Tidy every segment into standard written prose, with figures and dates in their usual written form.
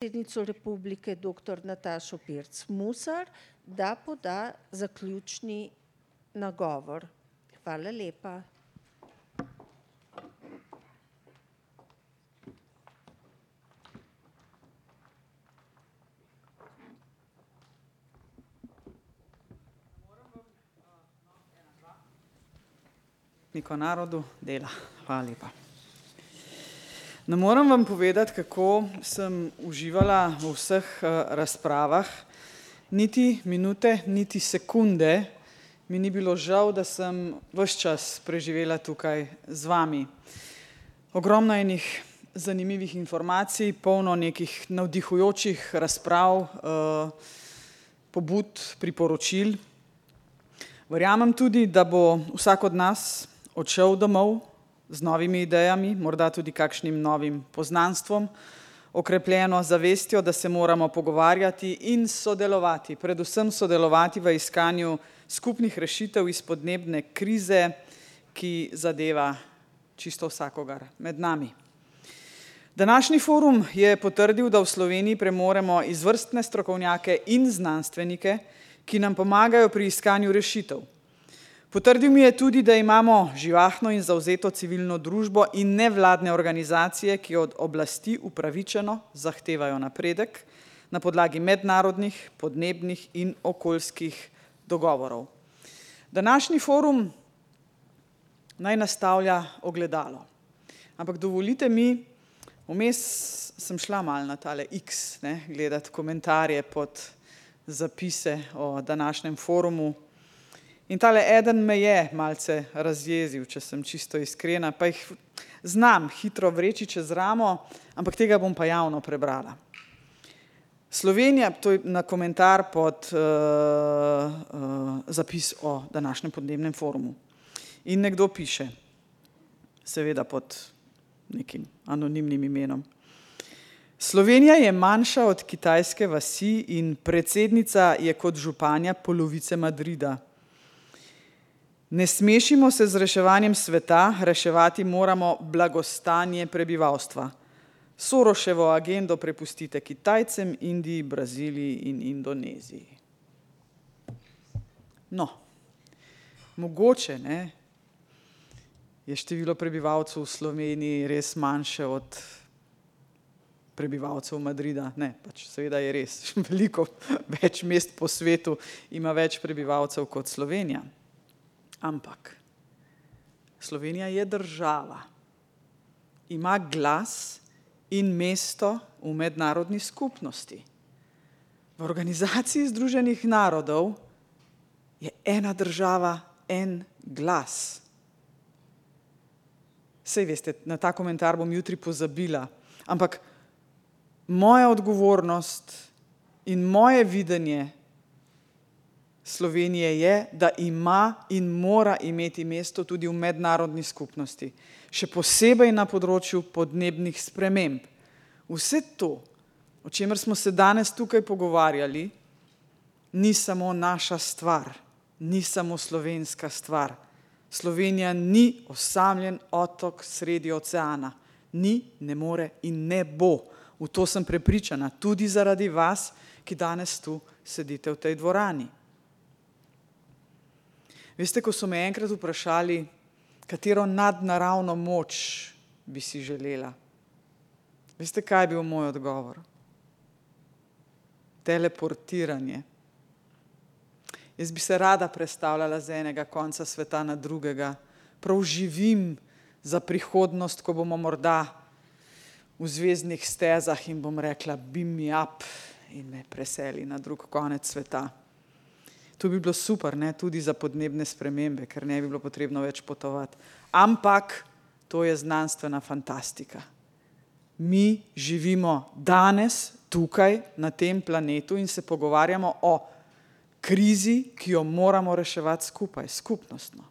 predsednico republike, dr. Natašo Pirc Musar, da poda zaključni nagovor. Hvala lepa. Narodu dela. Hvala lepa. Ne moram vam povedati, kako sem uživala v vseh razpravah. Niti minute, niti sekunde mi ni bilo žal, da sem ves čas preživela tukaj z vami. Ogromno enih zanimivih informacij, polno nekih navdihujočih razprav, pobud, priporočil. Verjamem tudi, da bo vsak od nas odšel domov z novimi idejami, morda tudi kakšnim novim poznanstvom, okrepljeno zavestjo, da se moramo pogovarjati in sodelovati, predvsem sodelovati v iskanju skupnih rešitev iz podnebne krize, ki zadeva čisto vsakogar med nami. Današnji forum je potrdil, da v Sloveniji premoremo izvrstne strokovnjake in znanstvenike, ki nam pomagajo pri iskanju rešitev. Potrdil mi je tudi, da imamo živahno in zavzeto civilno družbo in nevladne organizacije, ki od oblasti upravičeno zahtevajo napredek na podlagi mednarodnih, podnebnih in okoljskih dogovorov. Današnji forum naj nastavlja ogledalo. Ampak dovolite mi, vmes sem šla malo na tale X, gledati komentarje pod zapise o današnjem forumu. In tale eden me je malce razjezil, če sem čisto iskrena, pa jih znam hitro vreči čez ramo, ampak tega bom pa javno prebrala. Slovenija, to je na komentar pod zapis o današnjem podnebnem forumu. In nekdo piše, seveda pod nekim anonimnim imenom. Slovenija je manjša od kitajske vasi in predsednica je kot županja polovice Madrida. Ne smešimo se z reševanjem sveta, reševati moramo blagostanje prebivalstva. Soroševo agendo prepustite Kitajcem, Indiji, Braziliji in Indoneziji. No, mogoče je število prebivalcev v Sloveniji res manjše od prebivalcev Madrida. Ne, pač seveda je res. Veliko več mest po svetu ima več prebivalcev kot Slovenija. Ampak Slovenija je država, ima glas in mesto v mednarodni skupnosti. V Organizaciji združenih narodov je ena država, en glas. Sej veste, na ta komentar bom jutri pozabila, ampak moja odgovornost in moje videnje Slovenije je, da ima in mora imeti mesto tudi v mednarodni skupnosti, še posebej na področju podnebnih sprememb. Vse to, o čemer smo se danes tukaj pogovarjali, ni samo naša stvar, ni samo slovenska stvar. Slovenija ni osamljen otok sredi oceana. Ni, ne more in ne bo. V to sem prepričana, tudi zaradi vas, ki danes tu sedite v tej dvorani. Veste, ko so me enkrat vprašali, katero nadnaravno moč bi si želela. Veste, kaj je bil moj odgovor? Teleportiranje. Jaz bi se rada prestavljala z enega konca sveta na drugega. Prav živim za prihodnost, ko bomo morda v zvezdnih stezah in bom rekla, beam me up in me preseli na drug konec sveta. To bi bilo super, tudi za podnebne spremembe, ker ne bi bilo potrebno več potovati. Ampak to je znanstvena fantastika. Mi živimo danes tukaj na tem planetu in se pogovarjamo o krizi, ki jo moramo reševati skupaj, skupnostno.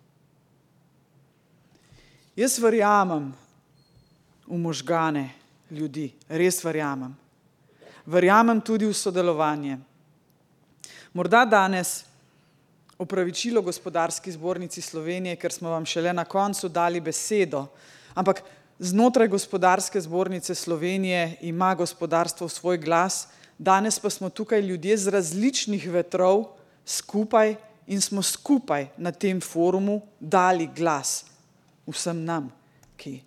Jaz verjamem v možgane ljudi, res verjamem. Verjamem tudi v sodelovanje. Morda danes opravičilo Gospodarski zbornici Slovenije, ker smo vam šele na koncu dali besedo, ampak Znotraj Gospodarske zbornice Slovenije ima gospodarstvo svoj glas, danes pa smo tukaj ljudje z različnih vetrov skupaj in smo skupaj na tem forumu dali glas vsem nam, ki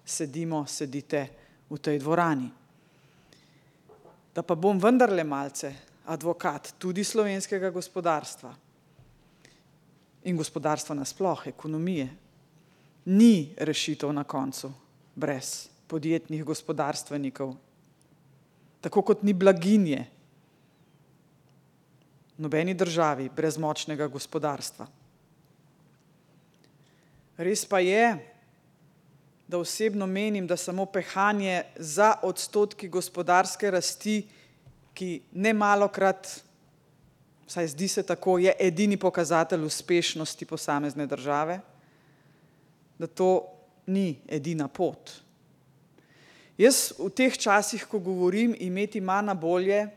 sedite v tej dvorani. Da pa bom vendarle malce advokat tudi slovenskega gospodarstva in gospodarstva nasploh, ekonomije. Ni rešitev na koncu brez podjetnih gospodarstvenikov, tako kot ni blaginje v nobeni državi brez močnega gospodarstva. Res pa je, da osebno menim, da samo pehanje za odstotki gospodarske rasti, ki nemalokrat, vsaj zdi se tako, je edini pokazatelj uspešnosti posamezne države, da to ni edina pot. Jaz v teh časih, ko govorim imeti manj bolje,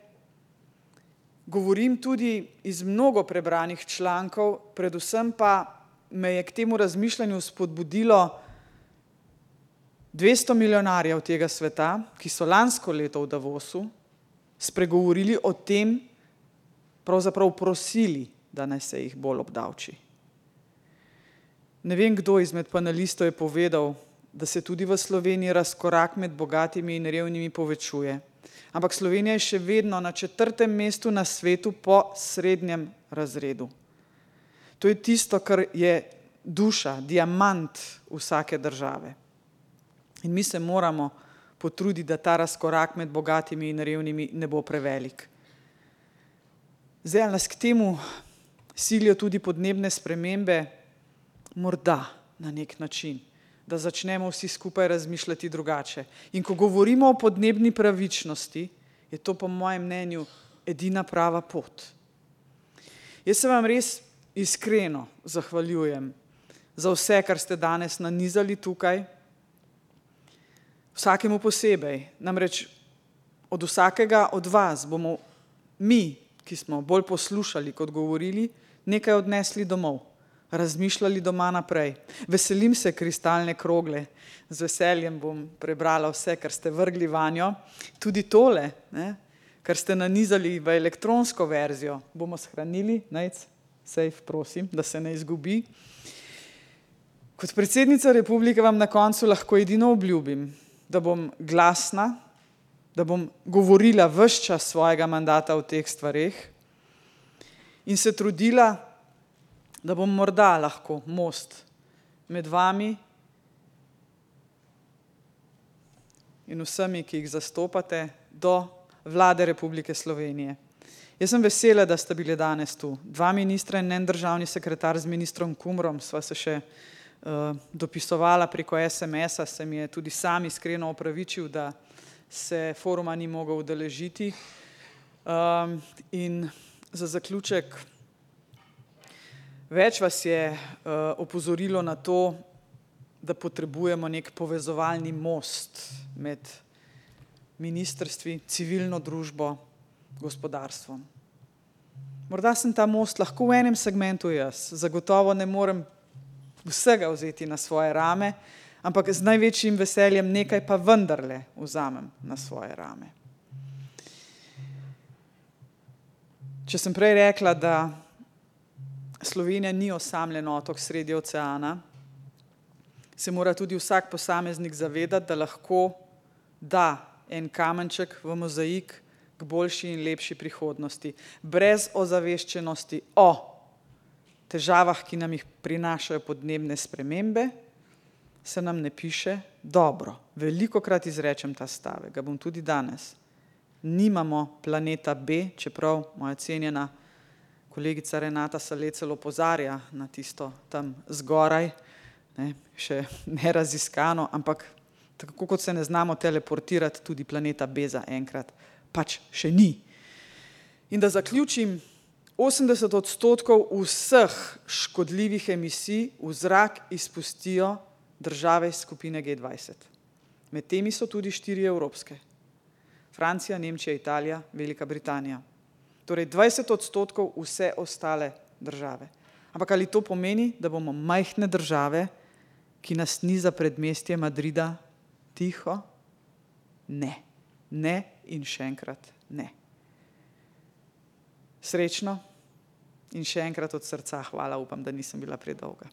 govorim tudi iz mnogo prebranih člankov, predvsem pa me je k temu razmišljanju spodbudilo 200 milijonarjev tega sveta, ki so lansko leto v Davosu spregovorili o tem, pravzaprav prosili, da naj se jih bolj obdavči. Ne vem, kdo izmed panelistov je povedal, da se tudi v Sloveniji razkorak med bogatimi in revnimi povečuje. Ampak Slovenija je še vedno na 4. mestu na svetu po srednjem razredu. To je tisto, kar je duša, diamant vsake države. In mi se moramo potruditi, da ta razkorak med bogatimi in revnimi ne bo prevelik. Zdaj, nas k temu silijo tudi podnebne spremembe, morda na nek način, da začnemo vsi skupaj razmišljati drugače. In ko govorimo o podnebni pravičnosti, je to po mojem mnenju edina prava pot. Jaz se vam res iskreno zahvaljujem za vse, kar ste danes nanizali tukaj, vsakemu posebej. Namreč od vsakega od vas bomo mi, ki smo bolj poslušali kot govorili, nekaj odnesli domov, razmišljali doma naprej. Veselim se kristalne krogle, z veseljem bom prebrala vse, kar ste vrgli vanjo. Tudi tole, kar ste nanizali v elektronsko verzijo, bomo shranili, safe, prosim, da se ne izgubi. Kot predsednica republike vam na koncu lahko edino obljubim, da bom glasna, da bom govorila ves čas svojega mandata o teh stvareh in se trudila, da bom morda lahko most med vami in vsemi, ki jih zastopate, do Vlade Republike Slovenije. Jaz sem vesela, da sta bili danes tu 2 ministra in en državni sekretar z ministrom Kumrom, sva se še dopisovala preko SMS-a, se mi je tudi sam iskreno opravičil, da se foruma ni mogel udeležiti. In za zaključek, več vas je opozorilo na to, da potrebujemo nek povezovalni most med ministrstvi, civilno družbo, gospodarstvom. Morda sem ta most lahko v enem segmentu jaz, zagotovo ne morem vsega vzeti na svoje rame, ampak z največjim veseljem nekaj pa vendarle vzamem na svoje rame. Če sem prej rekla, da Slovenija ni osamljen otok sredi oceana, se mora tudi vsak posameznik zavedati, da lahko da en kamenček v mozaik k boljši in lepši prihodnosti, brez ozaveščenosti o težavah, ki nam jih prinašajo podnebne spremembe, se nam ne piše dobro. Velikokrat izrečem ta stavek, ga bom tudi danes. Nimamo planeta B, čeprav moja cenjena kolegica Renata Salecel opozarja na tisto tam zgoraj, še neraziskano, ampak tako kot se ne znamo teleportirati, tudi planeta B za enkrat pač še ni. In da zaključim, 80% vseh škodljivih emisij v zrak izpustijo države iz skupine G20. Med temi so tudi 4 evropske. Francija, Nemčija, Italija, Velika Britanija. Torej 20% vse ostale države. Ampak ali to pomeni, da bomo majhne države, ki nas ni za predmestje Madrida tiho? Ne, ne in še enkrat ne. Srečno in še enkrat od srca hvala, upam, da nisem bila predolga.